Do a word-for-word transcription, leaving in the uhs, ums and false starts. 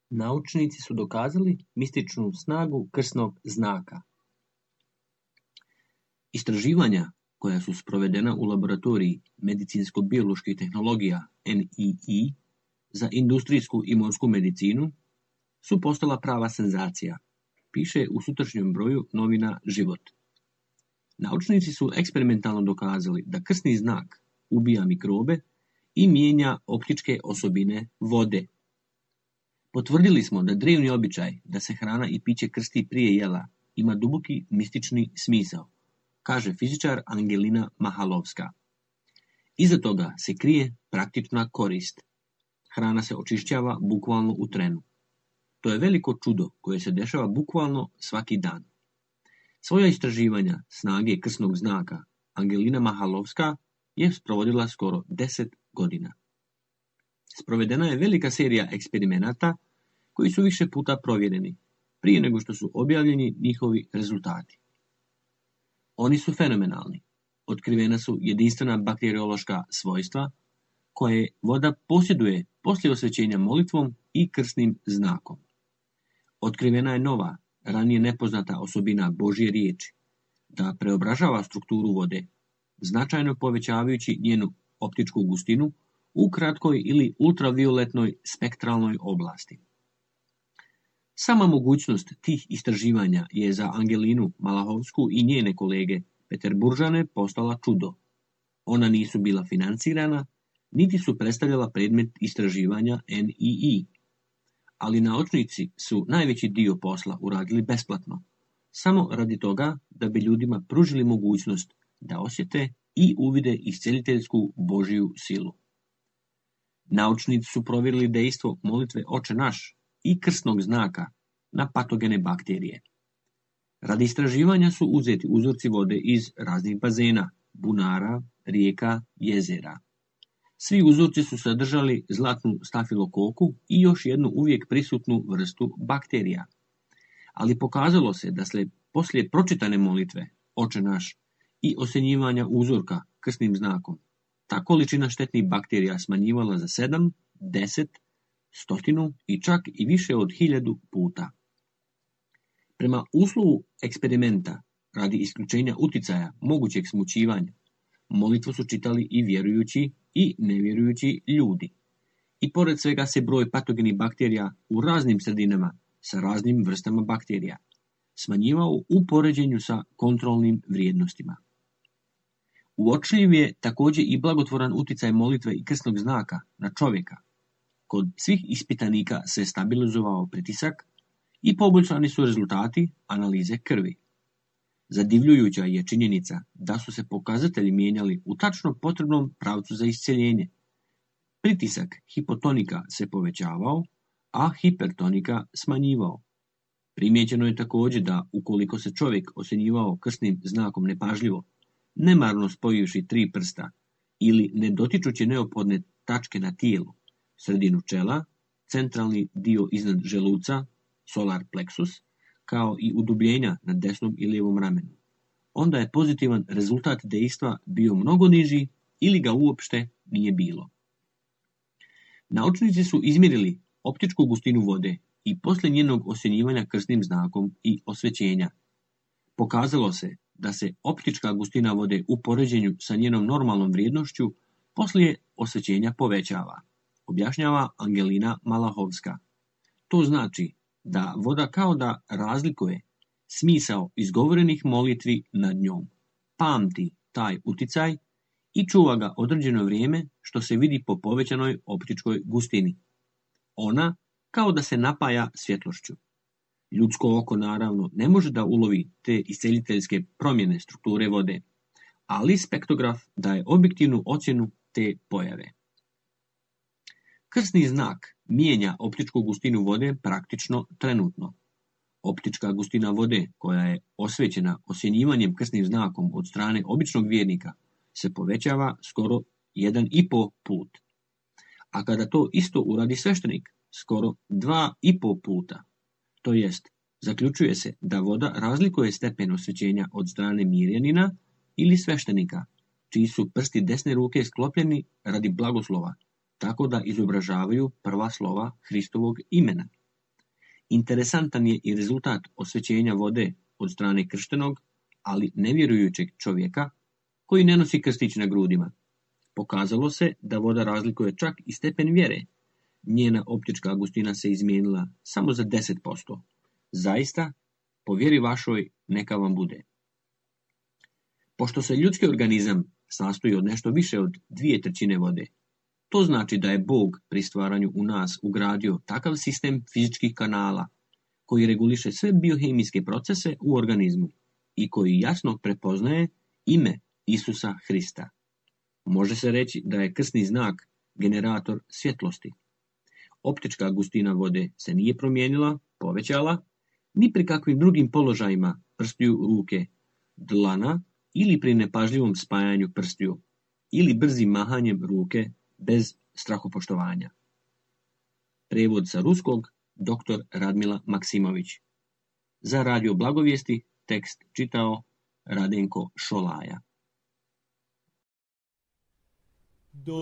Naučnici su dokazali mističnu snagu krsnog znaka. Istraživanja koja su sprovedena u laboratoriji medicinsko-bioloških tehnologija N I I za industrijsku i morsku medicinu su postala prava senzacija, piše u sutrašnjem broju novina Život. Naučnici su eksperimentalno dokazali da krsni znak ubija mikrobe i mijenja optičke osobine vode. Potvrdili smo da drevni običaj da se hrana i piće krsti prije jela ima duboki mistični smisao, kaže fizičar Angelina Mahalovska. Iza toga se krije praktična korist. Hrana se očišćava bukvalno u trenu. To je veliko čudo koje se dešava bukvalno svaki dan. Svoja istraživanja snage krsnog znaka Angelina Mahalovska je sprovodila skoro deset godina. Sprovedena je velika serija eksperimenata koji su više puta provjereni, prije nego što su objavljeni njihovi rezultati. Oni su fenomenalni. Otkrivena su jedinstvena bakteriološka svojstva koje voda posjeduje poslije osvećenja molitvom i krsnim znakom. Otkrivena je nova, ranije nepoznata osobina Božje riječi, da preobražava strukturu vode, značajno povećavajući njenu optičku gustinu u kratkoj ili ultravioletnoj spektralnoj oblasti. Sama mogućnost tih istraživanja je za Angelinu Malahovsku i njene kolege Peterburžane postala čudo. Ona nisu bila financirana, niti su predstavljala predmet istraživanja N I I. Ali naučnici su najveći dio posla uradili besplatno, samo radi toga da bi ljudima pružili mogućnost da osjete i uvide isceliteljsku Božju silu. Naučnici su provjerili dejstvo molitve Oče naš i krsnog znaka na patogene bakterije. Radi istraživanja su uzeti uzorci vode iz raznih bazena, bunara, rijeka, jezera. Svi uzorci su sadržali zlatnu stafilokoku i još jednu uvijek prisutnu vrstu bakterija. Ali pokazalo se da se poslije pročitane molitve Oče naš i osjenjivanja uzorka krsnim znakom ta količina štetnih bakterija smanjivala za sedam, deset, stotinu i čak i više od hiljadu puta. Prema uslovu eksperimenta radi isključenja uticaja mogućeg smućivanja, molitvu su čitali i vjerujući i nevjerujući ljudi. I pored svega se broj patogenih bakterija u raznim sredinama sa raznim vrstama bakterija smanjivao u poređenju sa kontrolnim vrijednostima. Uočljiv je također i blagotvoran uticaj molitve i krsnog znaka na čovjeka. Kod svih ispitanika se stabilizovao pritisak i poboljšani su rezultati analize krvi. Zadivljujuća je činjenica da su se pokazatelji mijenjali u tačno potrebnom pravcu za iscjeljenje. Pritisak hipotonika se povećavao, a hipertonika smanjivao. Primijećeno je također da ukoliko se čovjek osjenjivao krsnim znakom nepažljivo, nemarno spojivši tri prsta ili ne dotičući neophodne tačke na tijelu, sredinu čela, centralni dio iznad želuca, solar plexus, kao i udubljenja na desnom i lijevom ramenu, onda je pozitivan rezultat dejstva bio mnogo niži ili ga uopšte nije bilo. Naučnici su izmjerili optičku gustinu vode i poslije njenog osjenjivanja krsnim znakom i osvećenja. Pokazalo se da se optička gustina vode u poređenju sa njenom normalnom vrijednošću poslije osvećenja povećava, objašnjava Angelina Malahovska. To znači da voda kao da razlikuje smisao izgovorenih molitvi nad njom, pamti taj uticaj i čuva ga određeno vrijeme, što se vidi po povećanoj optičkoj gustini. Ona kao da se napaja svjetlošću. Ljudsko oko naravno ne može da ulovi te isceliteljske promjene strukture vode, ali spektrograf daje objektivnu ocjenu te pojave. Krsni znak mijenja optičku gustinu vode praktično trenutno. Optička gustina vode koja je osvećena osjenjivanjem krsnim znakom od strane običnog vjernika se povećava skoro jedan i po put. A kada to isto uradi sveštenik, skoro dva i po puta. To jest, zaključuje se da voda razlikuje stepen osvećenja od strane mirjanina ili sveštenika, čiji su prsti desne ruke sklopljeni radi blagoslova, tako da izobražavaju prva slova Hristovog imena. Interesantan je i rezultat osvećenja vode od strane krštenog, ali nevjerujućeg čovjeka koji ne nosi krstić na grudima. Pokazalo se da voda razlikuje čak i stepen vjere. Njena optička gustina se izmijenila samo za deset posto. Zaista, po vjeri vašoj neka vam bude. Pošto se ljudski organizam sastoji od nešto više od dvije trećine vode, to znači da je Bog pri stvaranju u nas ugradio takav sistem fizičkih kanala koji reguliše sve biohemijske procese u organizmu i koji jasno prepoznaje ime Isusa Hrista. Može se reći da je krsni znak generator svjetlosti. Optička gustina vode se nije promijenila, povećala, ni pri kakvim drugim položajima prstiju ruke, dlana ili pri nepažljivom spajanju prstiju ili brzim mahanjem ruke bez strahopoštovanja. Prevod sa ruskog doktor Radmila Maksimović. Za Radio Blagovijesti tekst čitao Radenko Šolaja. Do